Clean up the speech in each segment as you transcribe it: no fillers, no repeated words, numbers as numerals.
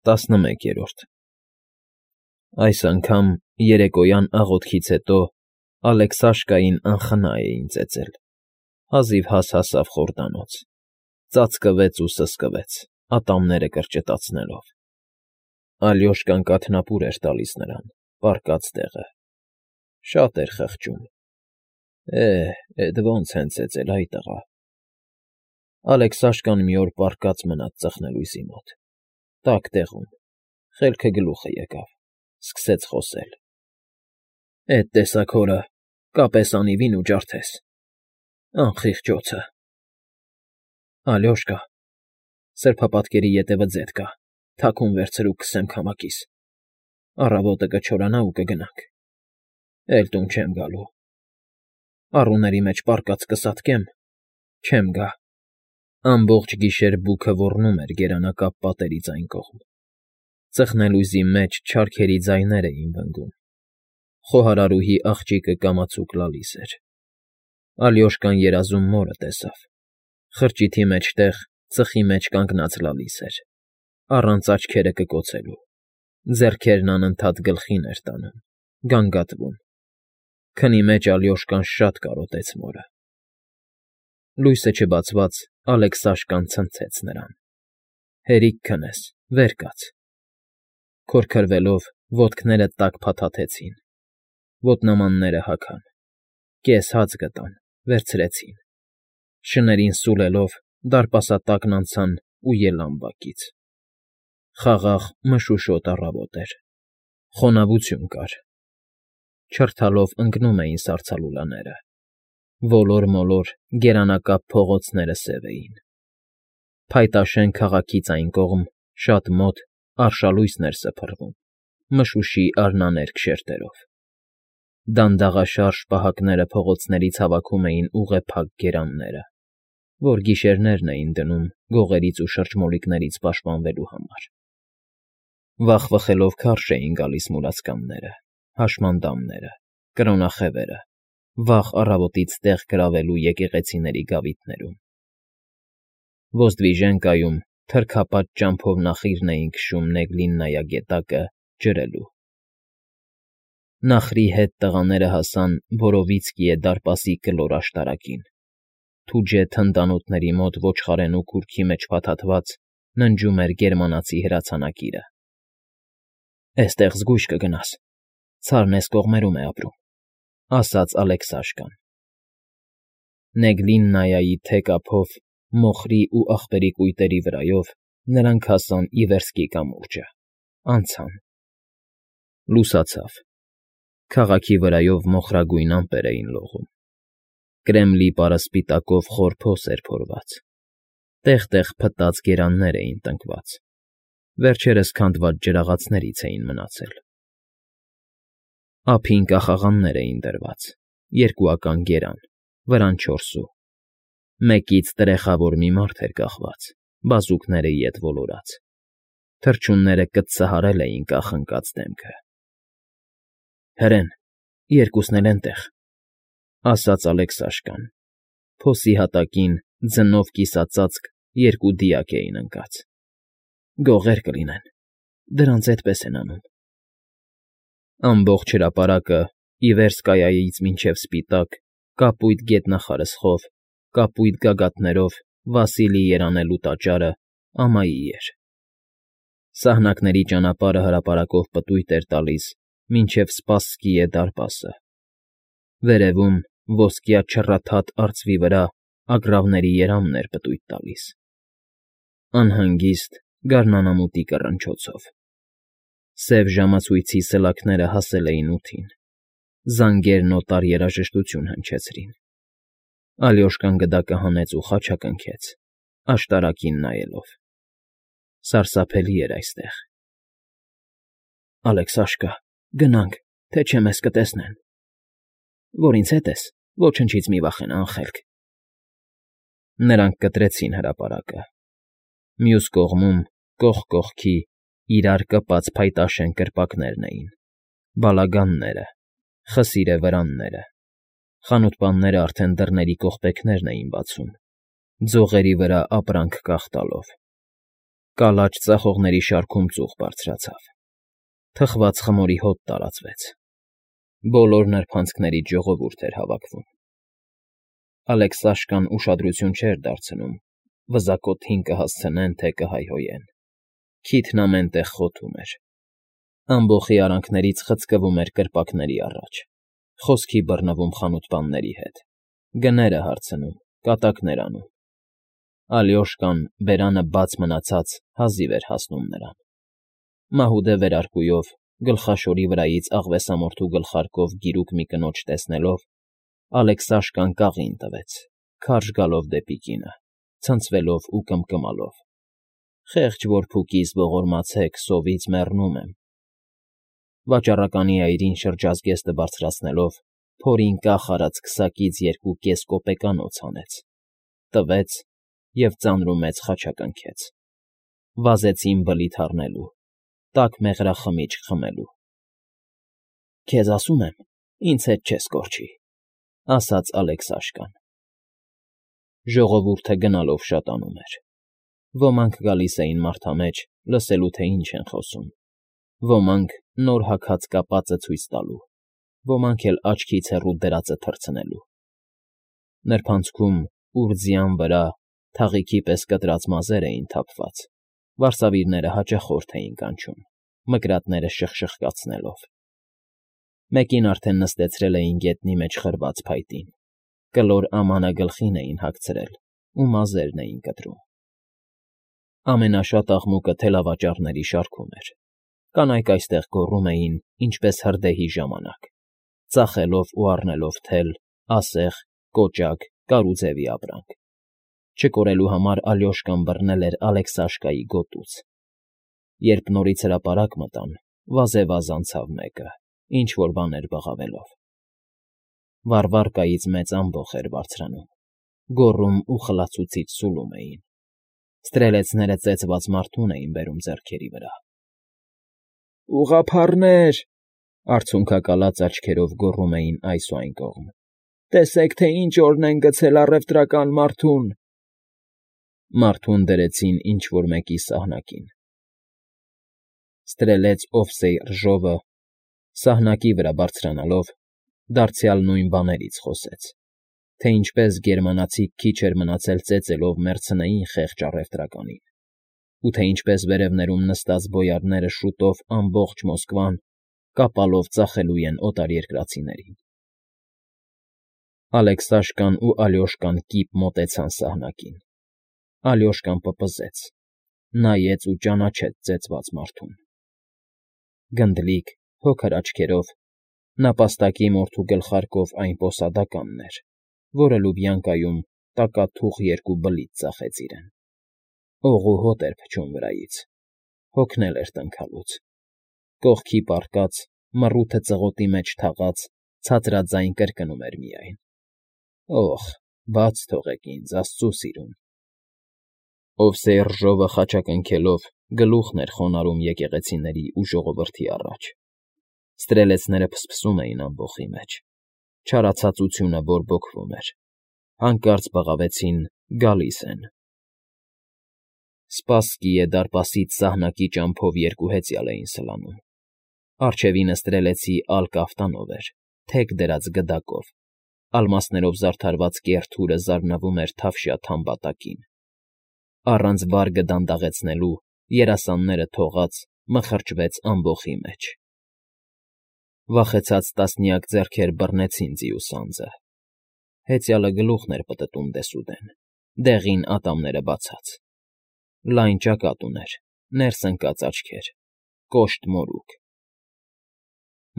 11 Այս անգամ երեկոյան աղոթքից հետո Ալեքսաշկային անխնա էին ծեծել, հազիվհազ հասավ խորդանոց, ծածկվեց ու սսկվեց, ատամները կրճտացնելով. Ալյոշկան կաթնապուր էր տալիս նրան, պառկած տեղը, շատ էր խղճում. էդ ոնց են ծեծել, այ տղա… Ալեքսաշկան մի օր պառկած մնաց ծխնելույզի մոտ, տաք տեղում, խելքը գլուխը եկավ, սկսեց խոսել. Էդ տեսակ հորը կապես անիվին ու ջարդես, անխիղճ օձը… Ալյոշկա, սրբապատկերի ետևը ձետ կա, թաքուն վերցրու կսեմ քամակիս, առավոտը կչորանա ու կգնանք, էլ տուն չեմ գալու, առուների մեջ պառկած կսատկեմ, չեմ գա… Ամբողջ գիշեր բուքը ոռնում էր գերանակապ պատերից այն կողմ, ծխնելույզի մեջ չարքերի ձայներ էին վնգում, խոհարարուհի աղջիկը կամացուկ լալիս էր… Ալյոշկան երազում մորը տեսավ, խրճիթի մեջտեղ ծխի մեջ կանգնած լալիս էր, առանց աչքերը կկոցելու, ձեռքերն անընդհատ գլխին էր տանում, գանգատվում… Քնի մեջ Ալյոշկան շատ կարոտեց մորը… Լույսը չբացված Ալեքսաշկան ցնցեց նրան. Հերիք քնես, վեր կաց… Քորքրվելով ոտքները տակ փաթաթեցին, ոտնամանները հագան, կես հաց գտան, վերցրեցին, շներին սուլելով դարպասատակն անցան ու ելան բակից… Խաղաղ մշուշոտ առավոտ էր, խոնավություն կար, չրթալով ընկնում էին սառցալուլաները, ոլոր֊մոլոր գերանակապ փողոցները սև էին… Փայտաշեն քաղաքից այն կողմ, շատ մոտ, արշալույսն էր սփռվում, մշուշի արնաներկ շերտերով… Դանդաղաշարժ պահակները փողոցներից հավաքում էին ուղեփակ գերանները, որ գիշերներն էին դնում գողերից ու շրջմոլիկներից պաշտպանվելու համար… Վախվխելով քարշ էին գալիս մուրացկանները, հաշմանդամները, կրոնախևերը, վաղ առավոտից տեղ գրավելու եկեղեցիների գավիթներում… Ոզդվիժենկայում թրքապատ ճամփով նախիրն էին քշում Նեգլիննայա գետակը ջրելու… Նախրի հետ տղաները հասան Բորովիցկիե դարպասի կլոր աշտարակին, թուջե թնդանոթների մոտ ոչխարենու քուրքի մեջ փաթաթված ննջում էր գերմանացի հրացանակիրը… Էստեղ զգույշ կգնաս, ցարն էս կողմերում է ապրում, ֊ ասաց Ալեքսաշկան… Նեգլիննայայի թեք ափով, մոխրի ու աղբերի կույտերի վրայով նրանք հասան Իվերսկի կամուրջը, անցան… Լուսացավ, քաղաքի վրայով մոխրագույն ամպեր էին լողում, Կրեմլի պարասպիտակով խոր փոս էր փորված, տեղ֊տեղ փտած գերաններ էին տնկված, վերջերս քանդված ջրաղացներից էին մնացել… Ափին կախաղաններ էին դրված, երկուական գերան, վրան 4 սու, մեկից տրեխավոր մի մարդ էր կախված, բազուկները ետ ոլորած, թռչունները կծծահարել էին կախնկած դեմքը… Հրեն, երկուսն էլ էնտեղ, ֊ ասաց Ալեքսաշկան, փոսի հատակին ձնով կիսածածկ երկու դիակ էին ընկած… Գողեր կլինեն, դրանց էդպես են անում… Ամբողջ հրապարակը Իվերսկայայից մինչև սպիտակ, կապույտ գետնախարսխով, կապույտ գագաթներով Վասիլի երանելու տաճարը ամայի էր… Սահնակների ճանապարհը հրապարակով պտույտ էր տալիս մինչև Սպասսկիե դարպասը, վերևում ոսկյա չռաթաթ արծվի վրա ագռավների երամն էր պտույտ տալիս… Անհանգիստ, գարնանամուտի կռնչոցով… Սև ժամացույցի սլաքները հասել էին ութին, զանգերն օտար երաժշտություն հնչեցրին… Ալյոշկան գդակը հանեց ու խաչակնքեց, աշտարակին նայելով… Սարսափելի էր այստեղ… Ալեքսաշկա, գնանք, թե չէ մեզ կտեսնեն… Որ ինձ հետ ես, ոչնչից մի վախենա, անխելք… Նրանք կտրեցին հրապարակը… Մյուս կողմում, կողք կողքի, իրար կպած փայտաշեն կրպակներն էին, բալագանները, խսիրե վրանները… Խանութպանները արդեն դռների կողպեքներն էին բացում, ձողերի վրա ապրանք կախ տալով… Կալաչ ծախողների շարքում ծուխ բարձրացավ։ Թխված խմորի հոտ տարածվեց։ Բոլոր նրբանցքներից ժողովուրդ էր հավաքվում։ Ալեքսաշկան ուշադրություն չէր դարձնում, վզակոթին կհասցնեն, թե կհայհոյեն։ Քիթն ամեն տեղ խոթում էր։ Ամբոխի արանքներից խցկվում էր կրպակների առաջ, խոսքի բռնվում խանութպանների հետ, գները հարցնում, կատակներ անում։ Ալյոշկան, բերանը բաց մնացած, հազիվ էր հասնում նրան։ Մահուդե վերարկուով, գլխաշորի վրայից աղվեսամորթու գլխարկով գիրուկ մի կնոջ տեսնելով, Ալեքսաշկան կաղին տվեց, քարշ գալով դեպի կինը, ցնցվելով ու կմկմալով. «Խեղճ որփուկիս ողորմացեք, սովից մեռնում եմ»։ Վաճառականի այրին շրջազգեստը բարձրացնելով, փորին կախ արած քսակից 2 կոպեկանոց հանեց, տվեց և ծանրումեծ խաչակնքեց։ Վազեցին բլիթ առնելու, տաք մեղրախմիչք խմելու։ «Քեզ ասում եմ, ինձ հետ չես կորչի», ֊ ասաց Ալեքսաշկան։ Ժողովուրդը գնալով շատանում էր։ Ոմանք գալիս էին մարդամեջ, լսելու, թե ինչ են խոսում, ոմանք նոր հագած կապածը ցույց տալու, ոմանք էլ աչքից հեռու դրածը թռցնելու։ Նրբանցքում, ուր ձյան վրա, թաղիքի պես կտրած մազեր էին թափված, վարսավիրները հաճախորդ էին կանչում, մկրատները շխշխկացնելով։ Մեկին արդեն նստեցրել էին գետնի մեջ խրված փայտին, կլոր ամանը գլխին էին հագցրել ու մազերն էին կտրում։ Ամենաշատ աղմուկը թելավաճառների շարքում էր։ Կանայք այստեղ գոռում էին, ինչպես հրդեհի ժամանակ, ծախելով ու առնելով թել, ասեղ, կոճակ, կարուձևի ապրանք։ Չկորելու համար Ալյոշկան բռնել էր Ալեքսաշկայի գոտուց։ Երբ նորից հրապարակ մտան, վազեվազ անցավ մեկը, ինչ֊որ բաներ բղավելով։ Վարվարկայից մեծ ամբոխ էր բարձրանում, գոռում ու խլացուցիչ սուլում էին։ Ստրելեցները ծեծված մարդուն էին բերում ձեռքերի վրա։ «Ուղղափառներ», արցունքակալած աչքերով գոռում էին այս ու այն կողմ։ «Տեսեք, թե ինչ օրն են գցել առևտրական մարդուն»։ Մարդուն դրեցին ինչ֊որ մեկի սահնակին։ Ստրելեց Օվսեյ Ռժովը, սահնակի վրա բարձրանալով, դարձյալ նույն բաներից խոսեց, թե ինչպես գերմանացիք քիչ էր մնացել ծեծելով մեռցնեին խեղճ առևտրականին, ու թե ինչպես վերևներում նստած բոյարները շուտով ամբողջ Մոսկվան կապալով ծախելու են օտարերկրացիներին։ Ալեքսաշկան ու Ալյոշկան կիպ մոտեցան սահնակին։ Ալյոշկան պպզեց, նայեց ու ճանաչեց ծեծված մարդուն։ Գնդլիկ, փոքր աչքերով, նապաստակի մորթու գլխարկով այն պոսադականն էր, որը Լուբյանկայում տակաթուխ 2 բլիթ ծախեց իրեն։ Օղու հոտ էր փչում վրայից, հոգնել էր տնքալուց։ Կողքի պառկած, մռութը ծղոտի մեջ թաղած, ցածրաձայն կրկնում էր միայն. «Օխ, բաց թողեք ինձ, աստծու սիրուն»։ Օվսեյ Ռժովը խաչակնքելով գլուխն էր խոնարհում եկեղեցիների ու ժողովրդի առաջ։ Ստրելեցները փսփսում էին ամբոխի մեջ, չարացածությունը բորբոքվում էր։ Հանկարծ բղավեցին. «Գալիս են»։ Սպասսկիե դարպասից սահնակի ճամփով 2 հեծյալ էին սլանում։ Առջևինը ստրելեցի Ալ կաֆտանով էր, թեք դրած գդակով, ալմասներով զարդարված կեռ թուրը զարնվում էր թավշյա թամբատակին։ Առանց վարգը դանդաղեցնելու, երասանները թողած, մխրճվեց ամբոխի մեջ։ Վախեցած տասնյակ ձեռքեր բռնեցին ձիու սանձը։ Հեծյալը գլուխն էր պտտում դեսուդեն, դեղին ատամները բացած։ Լայն ճակատ ուներ, ներս ընկած աչքեր, կոշտ մորուք։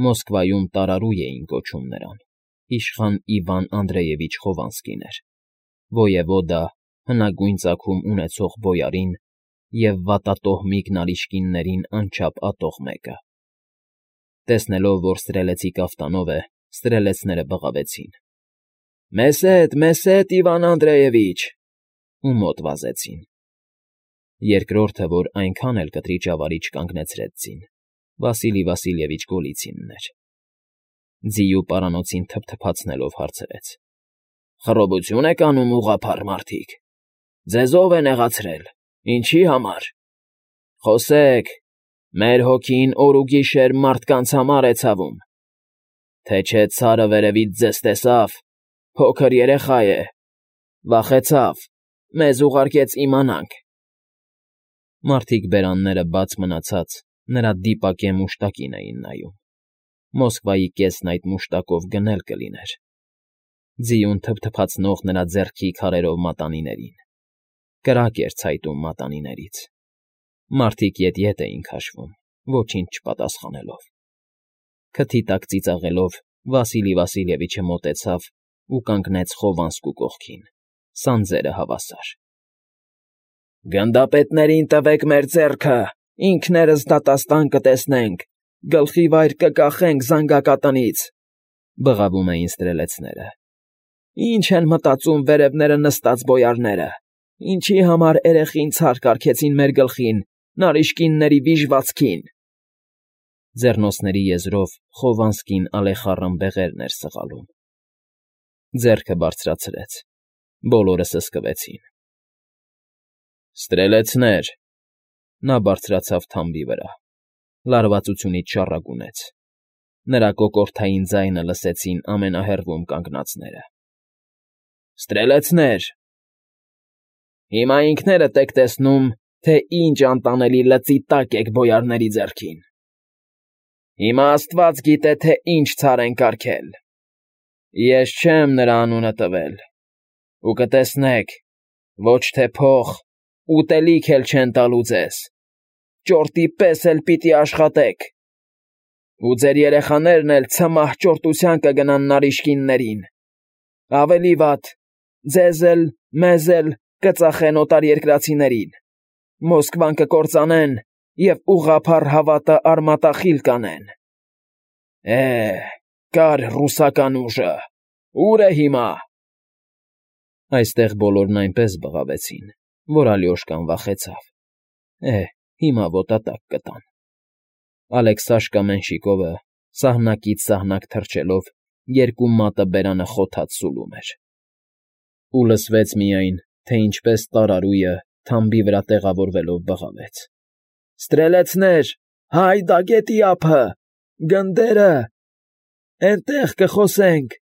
Մոսկվայում տարարու էին կոչում նրան, իշխան Իվան Անդրեևիչ Խովանսկին էր, ոևոդա, հնագույն ծագում ունեցող բոյարին և վատատոհմիկ նարիչկիններին անչափ ատող մեկը։ Տեսնելով, որ ստրելեցի կաֆտանով է, ստրելեցները բղավեցին. Մեզ հետ, Իվան Անդրեևիչ, ու մոտ վազեցին։ Երկրորդը, որ այնքան էլ կտրիճ ավարի չկանգնեցրեց ձին, Վասիլի Վասիլևիչ Գոլիցինն էր։ Ձիու պարանոցին թփթփացնելով հարցրեց. «Խռովություն եք անում, ուղղափառ մարդիկ, ձեզ ո՞վ է նեղացրել, ինչի համար»։ Խոսեք, մեր հոգին օր ու գիշեր մարդկանց համար է ցավում, թե չէ ցարը վերևից ձեզ տեսավ, փոքր երեխա է, վախեցավ, մեզ ուղարկեց իմանանք։ Մարդիկ բերանները բաց մնացած նրա դիպակե մուշտակին էին նայում։ Մոսկվայի կեսն այդ մուշտակով գնել կլիներ։ Ձիուն թփթփացնող նրա ձեռքի քարերով մատանիներին։ Կրակ էր ցայտում մատանիներից։ Մարդիկ ետ էին քաշվում, ոչինչ չպատասխանելով։ Քթի տակ ծիծաղելով Վասիլի Վասիլևիչը մոտեցավ ու կանգնեց Խովանսկու կողքին, սանձերը հավասար։ Գնդապետներին տվեք մեր ձեռքը, ինքներս դատաստան կտեսնենք, գլխի վայր կկախենք զանգակատնից, բղավում էին ստրելեցները։ Ինչ են մտածում վերևները նստած բոյարները, ինչի համար երեխին ցար կարգեցին մեր գլխին, նարիշկինների վիժվածքին։ Ձեռնոցների եզրով Խովանսկին ալեխառն բեղերն էր սղալում։ Ձեռքը բարձրացրեց, բոլորը սսկվեցին։ Ստրելեցներ, նա բարձրացավ թամբի վրա, լարվածությունից շառագունեց։ Նրա կոկորդային ձայնը լսեցին ամենահեռվում կանգնածները։ Ստրելեցներ, հիմա ինքներդ եք տեսնում, թե ինչ անտանելի լծի տակ եք բոյարների ձեռքին։ Հիմա Աստված գիտե, թե ինչ ցար են կարգել։ Ես չեմ նրա անունը տվել, ու կտեսնեք, ոչ թե փող, ուտելիք էլ չեն տալու ձեզ, ճորտի պես էլ պիտի աշխատեք, ու ձեր երեխաներն էլ ցմահ ճորտության կգնան նարիշկիններին, ավելի վատ, ձեզ էլ, մեզ էլ կծախեն օտարերկրացիներին, Մոսկվան կկործանեն և ուղղափառ հավատը արմատախիլ կանեն։ Կար ռուսական ուժը, ուր է հիմա։ Այստեղ բոլորն այնպես բղավեցին, որ Ալյոշկան վախեցավ։ Հիմա ոտատակ կտան։ Ալեքսաշկա Մենշիկովը սահնակից սահնակ թռչելով երկու մատը բերանը խոթած սուլում էր։ Ու լսվեց միայն, թե ինչպես տարարույը թամբի վրա տեղավորվելով բղավեց. Ստրելեցներ, հայ դագետի ափը, գնդերը, էնտեղ կխոսենք։